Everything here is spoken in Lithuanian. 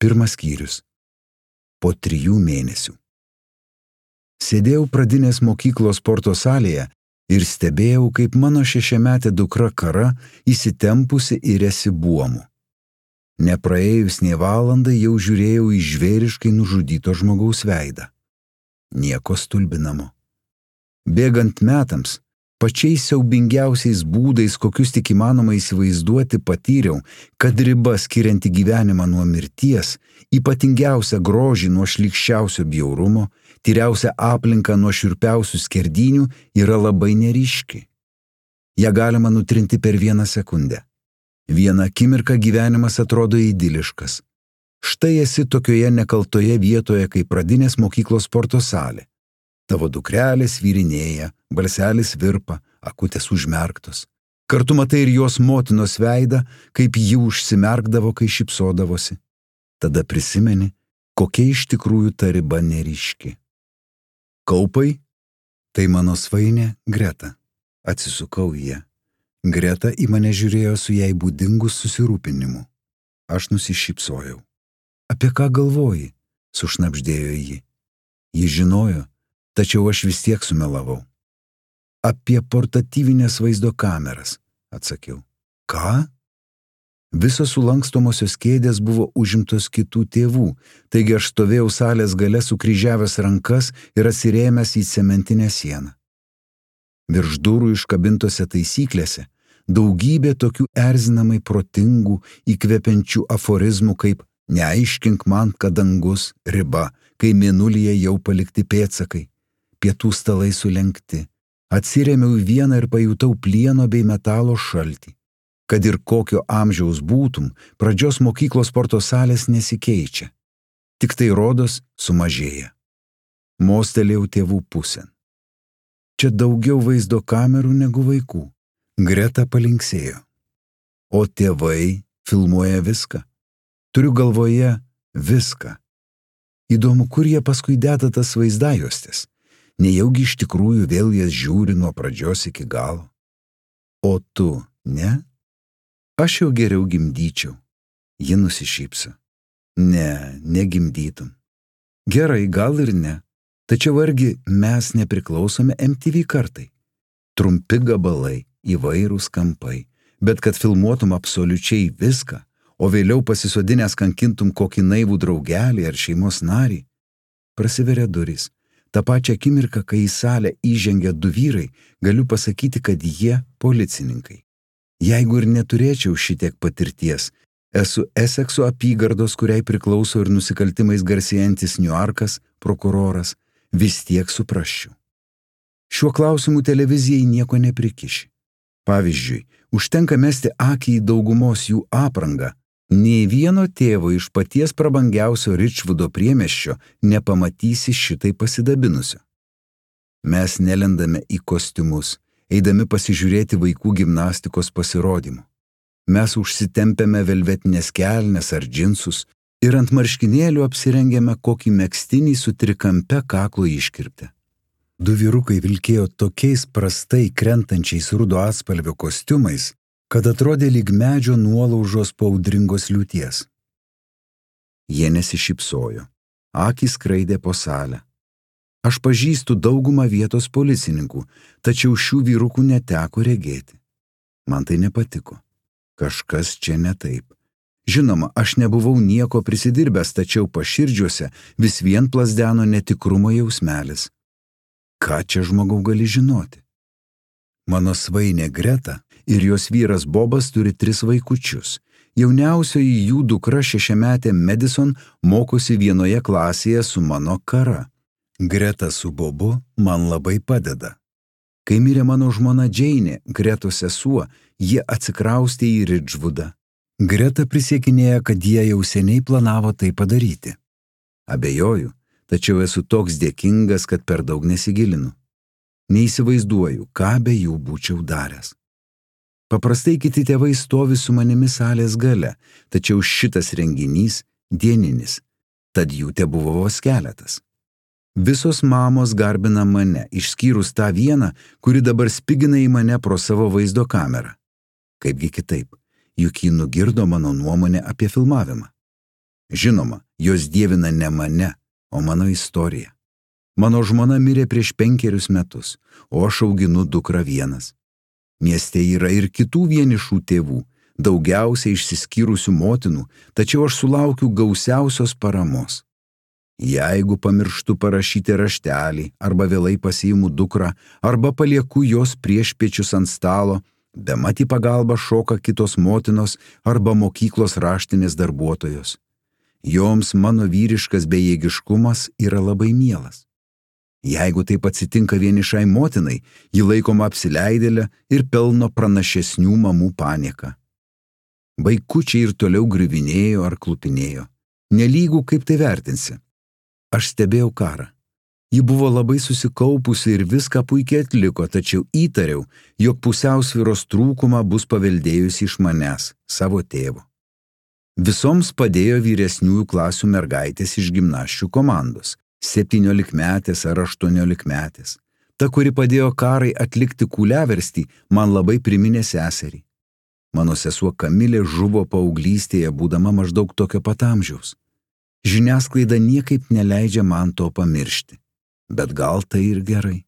Pirmas skyrius. Po 3 mėnesių. Sėdėjau pradinės mokyklos sporto salėje ir stebėjau, kaip mano 6-metė dukra Kara įsitempusi iriasi buomu. Nepraėjus nė valandai jau žiūrėjau į žvėriškai nužudyto žmogaus veidą. Nieko stulbinamo. Bėgant metams, pačiais siaubingiausiais būdais, kokius tik įmanoma įsivaizduoti, patyriau, kad riba skirianti gyvenimą nuo mirties, ypatingiausia grožį nuo šlykščiausio bjaurumo, tyriausia aplinka nuo šiurpiausių skerdynių yra labai neryški. Ja galima nutrinti per 1 sekundę. Vieną akimirką gyvenimas atrodo idiliškas. Štai esi tokioje nekaltoje vietoje, kaip pradinės mokyklos sporto salė. Tavo dukrelė svyrinėja, balselis virpa, akutės užmerktos. Kartu matai ir jos motinos veidą, kaip ji užsimerkdavo, kai šypsodavosi. Tada prisimeni, kokia iš tikrųjų ta riba neryški. Kaupai? Tai mano svainė Greta. Atsisukau į ją. Greta į mane žiūrėjo su jai būdingu susirūpinimu. Aš nusišypsojau. Apie ką galvoji? Sušnabždėjo ji. Ji žinojo, tačiau aš vis tiek sumelavau. Apie portatyvinės vaizdo kameras, atsakiau. Ką? Visos sulankstomosios kėdės buvo užimtos kitų tėvų, taigi aš stovėjau salės gale sukryžiavęs rankas ir atsirėmęs į cementinę sieną. Virš durų iškabintose taisyklėse daugybė tokių erzinamai protingų, įkvepiančių aforizmų kaip neaiškink man, kad dangus, riba, kai mėnulyje jau palikti pėdsakai, pietų stalai sulenkti. Atsirėmiau į vieną ir pajutau plieno bei metalo šaltį. Kad ir kokio amžiaus būtum, pradžios mokyklos sporto salės nesikeičia. Tik tai rodos sumažėja. Mostelėjau tėvų pusėn. Čia daugiau vaizdo kamerų negu vaikų. Greta palinksėjo. O tėvai filmuoja viską. Turiu galvoje viską. Įdomu, kur jie paskui deda tas vaizdajuostes. Nejaugi iš tikrųjų vėl jas žiūri nuo pradžios iki galo. O tu, ne? Aš jau geriau gimdyčiau. Ji nusišypso. Ne, negimdytum. Gerai, gal ir ne. Tačiau argi mes nepriklausome MTV kartai. Trumpi gabalai, įvairūs kampai, bet kad filmuotum absoliučiai viską, o vėliau pasisodinęs kankintum kokį naivų draugelį ar šeimos narį. Prasiveria durys. Ta pačia akimirka, kai į salę įžengia 2 vyrai, galiu pasakyti, kad jie policininkai. Jeigu ir neturėčiau šitiek patirties, esu Esekso apygardos, kuriai priklauso ir nusikaltimais garsėjantis Niujorkas, prokuroras, vis tiek suprasčiau. Šiuo klausimu televizijai nieko neprikiši. Pavyzdžiui, užtenka mesti akį į daugumos jų aprangą. Nei vieno tėvo iš paties prabangiausio Ričvudo priemiesčio nepamatysi šitai pasidabinusio. Mes nelendame į kostiumus, eidami pasižiūrėti vaikų gimnastikos pasirodymų. Mes užsitempėme velvetinės kelnes ar džinsus ir ant marškinėlių apsirengėme kokį megztinį su trikampe kaklo iškirpte. 2 vyrukai vilkėjo tokiais prastai krentančiais rudo atspalvio kostiumais, kad atrodė lyg medžio nuolaužos po audringos liūties. Jie nesišypsojo, akys skraidė po salę. Aš pažįstu daugumą vietos policininkų, tačiau šių vyrukų neteko regėti. Man tai nepatiko. Kažkas čia ne taip. Žinoma, aš nebuvau nieko prisidirbęs, tačiau paširdžiuose vis vien plazdeno netikrumo jausmelis. Ką čia žmogau gali žinoti? Mano svainė Greta ir jos vyras Bobas turi 3 vaikučius. Jauniausioji jų dukra 6-metė Madison mokosi vienoje klasėje su mano Kara. Greta su Bobu man labai padeda. Kai mirė mano žmona Džeinė, Gretos sesuo, jie atsikraustė į Ridžvudą. Greta prisiekinėja, kad jie jau seniai planavo tai padaryti. Abejoju, tačiau esu toks dėkingas, kad per daug nesigilinu. Neįsivaizduoju, ką be jų būčiau daręs. Paprastai kiti tėvai stovi su manimi salės gale, tačiau šitas renginys dieninis, tad jų tebuvo vos keletas. Visos mamos garbina mane, išskyrus tą vieną, kuri dabar spigina į mane pro savo vaizdo kamerą. Kaipgi kitaip, juk ji nugirdo mano nuomonę apie filmavimą. Žinoma, jos dievina ne mane, o mano istoriją. Mano žmona mirė prieš 5 metus, o aš auginu dukrą vienas. Mieste yra ir kitų vienišų tėvų, daugiausiai išsiskyrusių motinų, tačiau aš sulaukiu gausiausios paramos. Jeigu pamirštu parašyti raštelį, arba vėlai pasiimu dukrą, arba palieku jos priešpiečius ant stalo, bemat į pagalbą šoka kitos motinos arba mokyklos raštinės darbuotojos. Joms mano vyriškas bejėgiškumas yra labai mielas. Jeigu taip atsitinka vienišai motinai, ji laikoma apsileidėlė ir pelno pranašesnių mamų panieką. Vaikučiai ir toliau griuvinėjo ar klupinėjo. Nelygų kaip tai vertinsi. Aš stebėjau karą. Ji buvo labai susikaupusi ir viską puikiai atliko, tačiau įtariau, jog pusiausvyros trūkumą bus paveldėjusi iš manęs, savo tėvo. Visoms padėjo vyresniųjų klasių mergaitės iš gimnasčių komandos, 17-metės ar 18-metės. Ta, kuri padėjo Karai atlikti kūliaverstį, man labai priminė seserį. Mano sesuo Kamilė žuvo paauglystėje, būdama maždaug tokio pat amžiaus. Žiniasklaida niekaip neleidžia man to pamiršti, bet gal tai ir gerai.